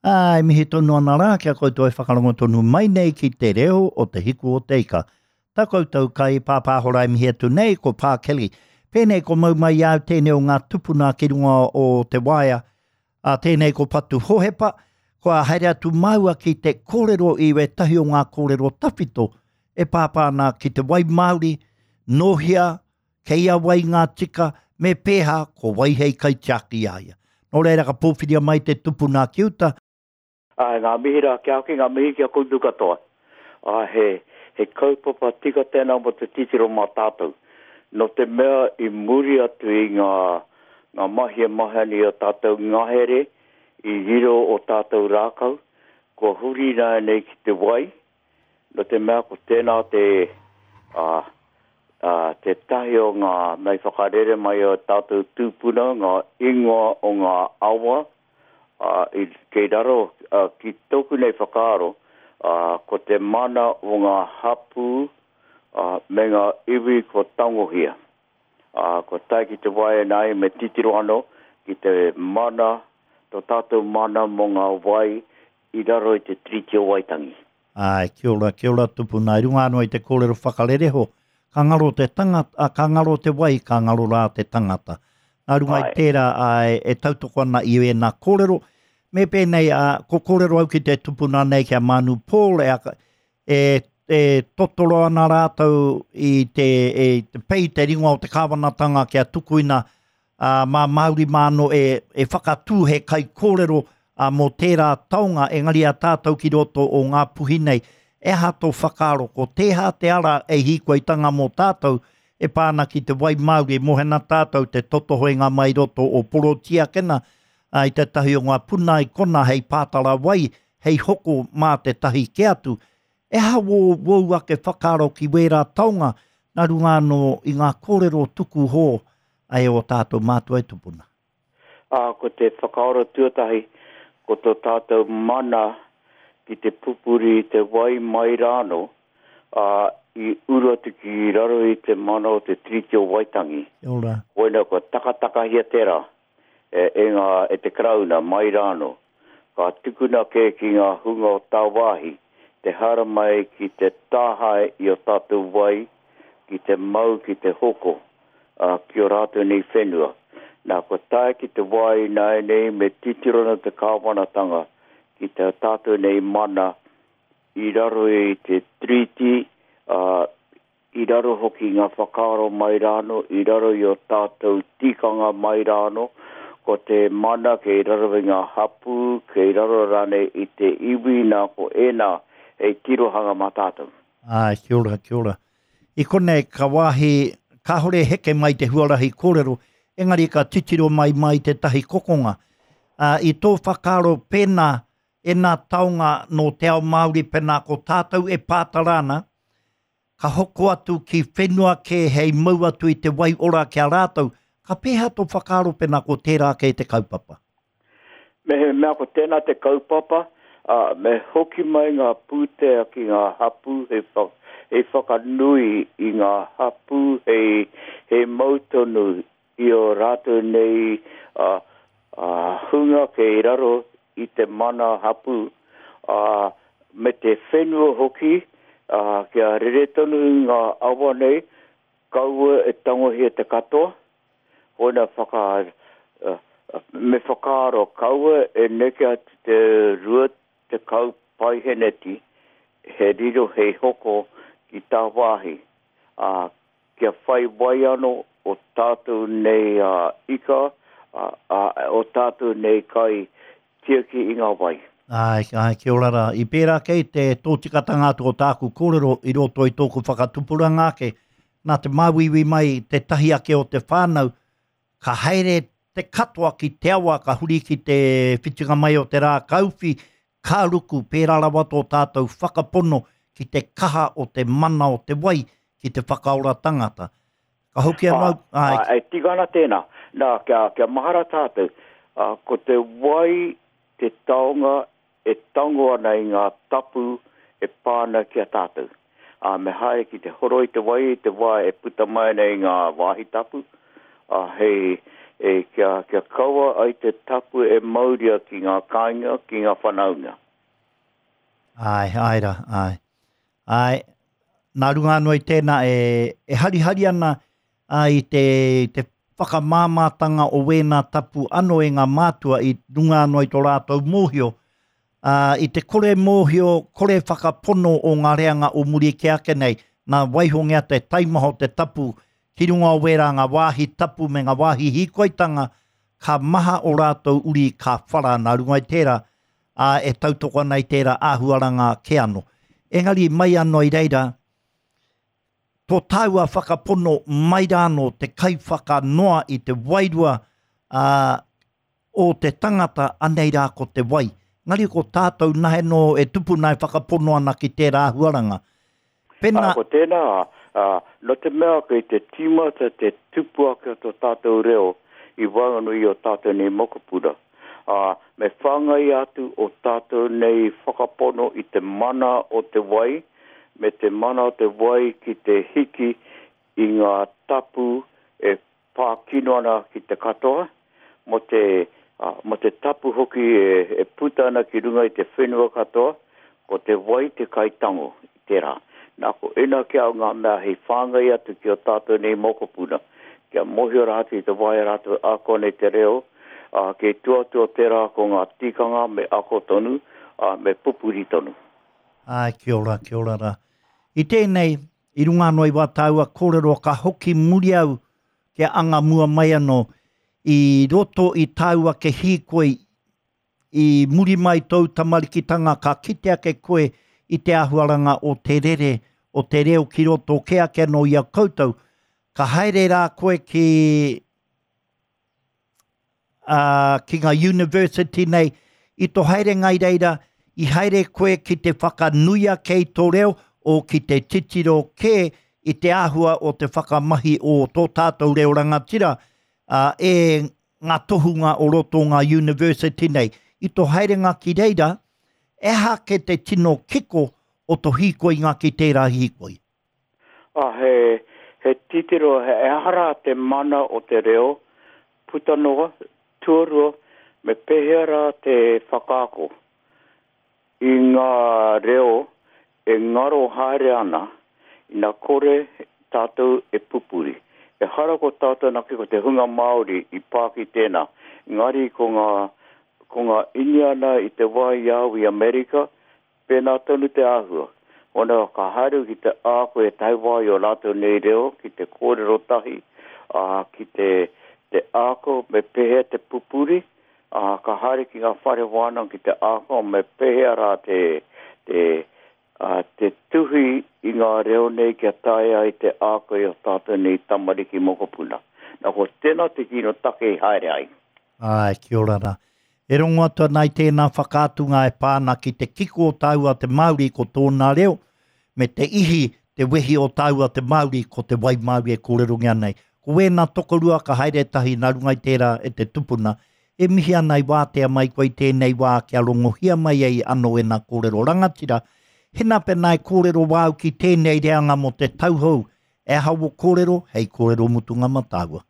Ā, e mihi tonu ana rā ki a koutou e whakarongo tonu mai nei ki te reo o Te Hiku o Te Ika. Tā koutou kai pāpāho rā e mihi atu nei ko Pā Kelly. Pēnei ko mau mai i a au tēnei o ngā tupuna ki runga o te waea, ā, tēnei ko Patu Hohepa, kua haere atu māua ki te kōrero i wētahi o ngā kōrero tawhito e pāpā ana ki te wai Māori, nōhia, Kei a wai ngā tika, me pēhā, ko wai hei kaitiaki i a ia. Nō reira ka pōwhiria mai te tupuna ki uta. Āe, ngā mihi rā ki a koe, ngā mihi ki a koutou katoa. Āe, he, he kaupapa tika tēnā mō te titiro mā tātou. Nō te mea i muri atu i ngā, ngā mahi e mahi ana i ō tātou ngahere, i riro ō tātou rākau, kua huri ināianei ki te wai, Nō te mea ko tēnā te, ā, ā, tētahi o ngā mea i whakarere mai o tātou tūpuna, ngā ingoa o ngā awa, ā, i, kei raro, ā, ki tōku nei whakaaro, ā, ko te mana o ngā hapū, ā, me ngā iwi kua tangohia. Ā, kua tae ki te wā ēnāi me titiro anō ki te mana, tō tātou mana mō ngā wai i raro i te Tiriti o Waitangi. Āe, kia ora, kia ora tupuna. I runga anō i te kōrero whakarereho, ka ngaro te tangata, ka ngaro te wai, ka ngaro rā te tangata. Nā runga i tērā, āe, e tautoko ana i ēnā kōrero. Me pēnei, ā, ko kōrero au ki te tupuna nei ki a Mānu Paul, e, e, e totoro ana rātou i te, e, te pei te ringa o te kāwanatanga kia tukuina ā, mā Māori mā anō e, e whakatū he kaikōrero, ā, mō tērā taonga, engari a tātou ki roto o Ngāpuhi nei, e aha tō whakaaro, ko tēhā te ara e hīkoitanga mō tātou e pā ana ki te wai Māori, e moe ana tātou te totohoenga mai roto o Porotiakena, ā, i tētahi o ngā puna i kona hei pātara wai, hei hoko mā tētahi kē atu. E aha wō, wōu ake whakaaro ki wērā taonga nā runga anō i ngā kōrero tuku hō ai ō tātou mātua e tupuna? Ā, ko te whakaaro tuatahi, ko tō tātou mana ki te pupuri i te wai mai rānō, ā, i uru atu ki raro i te mana o te Tiriti o Waitangi. Kia ora. Koina kua takatakahia tērā e, e ngā, e te Karauna mai rānō. Ka tukuna kē ki ngā hunga o tāwāhi te haramai ki te tāhae i ō tātou wai, ki te mau, ki te hoko, ā, ki ō rātou nei whenua. Nā, kua tae ki te wā ināianei me titiro ana te kāwanatanga ki tā tātou nei mana i raro i te Tiriti, ā, i raro hoki i ngā whakaaro mai rānō, i raro i ō tātou tikanga mai rānō, ko te mana kei raro i ngā hapū, kei raro rānei i te iwi, nā ko ēnā hei tirohanga mā tātou. Āe, kia ora, kia ora. I konei ka wāhi, kāore e heke mai te huarahi kōrero, engari ka titiro mai mai tētahi kokonga. Ā, i tō whakaaro pēnā, ēnā taonga nō te ao Māori pēnā ko tātou e pātara ana, ka hoko atu ki whenua kē hei mau atu i te wai ora ki a rātou, ka pēhea tō whakaaro pēnā ko tērā kē te kaupapa? Mehemea ko tēnā te kaupapa, ā, me hoki mai ngā pūtea ki ngā hapū hei wha, hei whakanui i ngā hapū hei, hei mau tonu i ō rātou nei, ā, ā, hunga kei raro i te mana hapū, ā, me te whenua hoki, ā, kia rere tonu ngā awa nei, kaua e tangohia te katoa, koina whaka, me whakaaro kaua e neke atu te 20 paiheneti he riro hei hoko ki tāwāhi, ā, kia whai wai ano o tātou nei ika, ā, o tātou nei kai tiaki i ngā wai. Āe, āe, kia ora rā. I pērā kei te tōtikatanga atu o tāku kōrero i roto i tōku whakatupuranga ake, nā te māuiui mai tētahi ake o te whānau, ka haere te katoa ki te awa, ka huri ki te whitinga mai o te rā, ka uwhi, ka ruku, pērā rawa tō tātou whakapono ki te kaha o te mana o te wai ki te whakaora tangata. Ka hoki anō au, āe. Ā, e tika ana tēnā. Nā, kia, kia mahara tātou, ā, ko te wai te taonga e tango ana i ngā tapu e pā ana ki a tātou. Ā, me haere ki te horoi te wai i te wā e puta mai ana i ngā wāhi tapu, ā, hei, e, kia, kia kaua ai te tapu e mauria ki ngā kāinga, ki ngā whanaunga. Āe, āe rā, āe. Āe, nā runga anō i tēnā e, e harihari ana ā, i te, te whakamāmātanga o wēnā tapu anō e ngā mātua i runga anō i tō rātou mōhio, ā, i te kore mōhio, kore whakapono o ngā reanga o muri kē ake nei, nā waihongia te taimaha o te tapu ki runga o wērā ngā wāhi tapu me ngā wāhi hīkoitanga, ka maha o rātou uri ka whara nā runga i tērā, ā, e tautoko ana i tērā āhuaranga kē anō. Engari mai anō i reira, tō tāua whakapono mai rā anō te kaiwhakanoa i te wairua, ā, o te tangata, anei rā ko te wai. Engari ko tātou nahe nō e tupu nā e whakapono ana ki tērā āhuaranga. Pena... Ā, ko tēnā, ā, nō te mea kei te tīmata te tupu ake o tō tātou reo i waenganui i ō tātou nei mokopuna, ā, me whāngai atu ō tātou nei whakapono i te mana o te wai, me te mana o te wai ki te hiki i ngā tapu e pā kino ana ki te katoa, mō te, mō te tapu hoki e puta ana ki runga i te whenua katoa, ko te wai te kaitango i tērā. Nā, ko ēnā ki au ngā mea hei whāngai atu ki ō tātou nei mokopuna, kia mōhio rātou i te wā e rātou ako ana i te reo, ā, kei tua atu o tērā ko ngā tikanga me ako tonu, ā, me pupuri tonu. Āe, kia ora, kia ora rā. I tēnei, I runga anō i wā tāua kōrero ka hoki muri au kia anga mua mai anō i roto i tāu ake hīkoi i muri mai tōu tamarikitanga ka kite ake koe i te āhuaranga o te rere o te reo ki roto kē ake anō i a koutou. Ka haere rā koe ki ā, ki ngā university nei, i tō haerenga i reira, i haere koe ki te whakanui ake i tō reo, o ki te titiro kē i te āhua o te whakamahi o tō tātou reo rangatira, ā, e ngā tohunga o roto o ngā university nei. I tō haerenga ki reira, e aha ake te tino kiko o tō hīkoinga ki tērā hīkoi? Ā, he, he titiro, he aha rā te mana o te reo, puta noa, tuarua, me pēhea rā te whakaako i ngā reo e ngaro haere ana ina kore tātou e pupuri. Ehara ko tātou anake ko te hunga Māori i pā ki tēnā, engari ko ngā, ko ngā Iniana i te wā i a au i Amerika, Pēnā tonu te āhua. Ona ka haere ki te āko e tae wā i o rātou nei reo ki te kōrero tahi, ā, ki te, te āko me pēhea te pupuri, ā, ka haere ki ngā whare wānanga ki te āko me pēhea rā te, te, ā, te tuhi i ngā reo nei kia taea ai te āko i o tātou nei tamariki mokopuna. Nā, ko tēnā te tino take i haere ai. Āe, kia ora rā. E rongo atu ana i tēnā whakaatunga e pā ana ki te kiko o tāua te Māori ko tōna reo, me te ihi, te wehi o tāua te Māori ko te wai Māori e kōrerongia nei. Ko wēnā tokorua ka haere tahi nā runga i tērā e te tupuna. E mihi ana i wātea mai koe i tēnei wā kia rongohia mai ai anō ēnā kōrero rangatira. Hena pēnā e kōrero wāu ki tēnei reanga mō te tauhou, e aha wō kōrero hei kōrero mutunga mā tāua.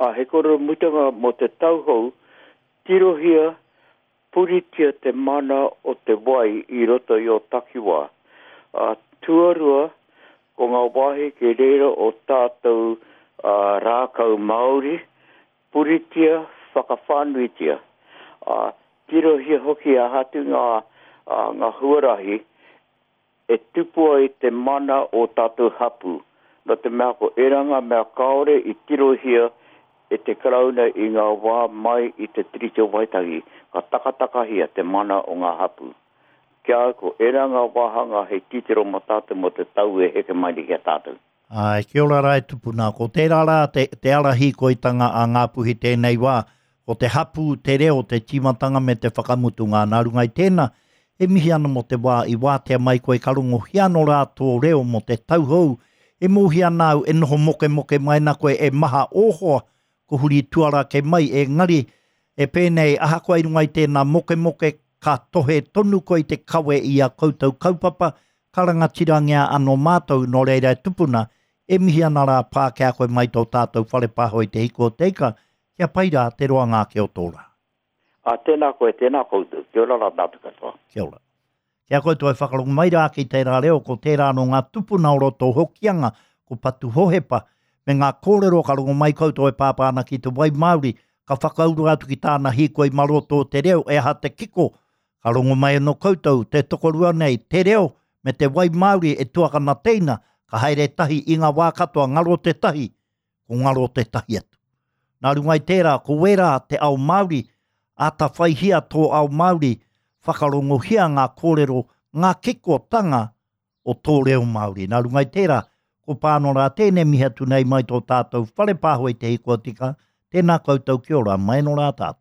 Ā, he kōrero mutunga mō te tau hou, tirohia, puritia te mana o te wai i roto i ō takiwā. Ā, tuarua, ko ngā wāhi kei reira o tātou rākau Māori, puritia, whakawhānuitia. Ā, tirohia hoki aha atu ngā, ngā huarahi e tupu ai te mana o tātou hapū, nō te mea ko ērā ngā mea kāore i tirohia e te Karauna i ngā wā mai i te Tiriti o Waitangi, ka takatakahia te mana o ngā hapū. Ki a au ko ērā ngā wāhanga hei titiro mō tātou mō te tau e heke mai nei ki a tātou. Āe, kia ora rā e tupuna. Ko tērā rā te, te ara hīkoitanga a Ngāpuhi tēnei wā, ko te hapū, te reo, te tīmatanga me te whakamutunga. Nā runga i tēnā, e mihi ana mō te wā i wātea mai koe ka rongohia anō rā tō reo mō te tau hou. E mōhia ana au e noho mokemoke mai ana koe e maha ō hoa ko huri tuara kei mai, engari e pēnei ahakoa i runga i tēnā mokemoke ka tohe tonu koe i te kawe i a koutou kaupapa, Ka rangatirangia ano mātou, nō reira e tupuna, e mihi ana rā pā ki a koe mai tō tātou whare pāho i te hiku o te ika. Kia pai rā te roanga ake o tō rā. Ā, tēnā koe, tēnā koutou. Kia ora rā tātou katoa. Kia ora. Ki a koutou e whakarongo mai rā ki tērā reo, ko tērā nō ngā tupuna o roto o Hokianga, ko Patu Hohepa, me ngā kōrero ka rongo mai koutou e pāpā ana ki te wai Māori, ka whakauru atu ki tāna hīkoi mā roto o te reo, e aha te kiko, ka rongo mai anō koutou, te tokorua nei, te reo me te wai Māori e tuakana teina, ka haere tahi i ngā wā katoa, ngaro te tahi, ko ngaro tētahi atu. Nā runga i tērā, ko wērā te ao Māori, āta whaihia tō ao Māori, whakarongohia ngā kōrero, ngā kikotanga o tō reo Māori. Nā runga i tērā, ko Pāno rā tēnei mihi atu nei mai tō tātou whare pāho i te hikoa tika, tēnā koutou kia ora, mai anō rā tātou.